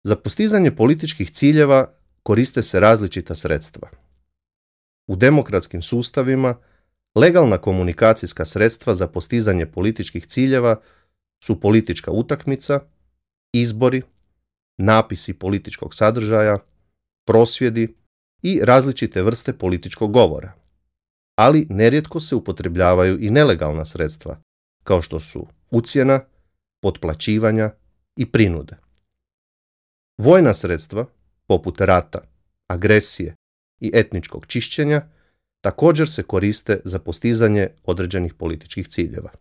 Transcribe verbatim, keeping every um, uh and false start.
Za postizanje političkih ciljeva koriste se različita sredstva. U demokratskim sustavima legalna komunikacijska sredstva za postizanje političkih ciljeva su politička utakmica, izbori, napisi političkog sadržaja, prosvjedi i različite vrste političkog govora. Ali nerijetko se upotrebljavaju i nelegalna sredstva, kao što su ucjena, potplaćivanja i prinude. Vojna sredstva, poput rata, agresije i etničkog čišćenja, također se koriste za postizanje određenih političkih ciljeva.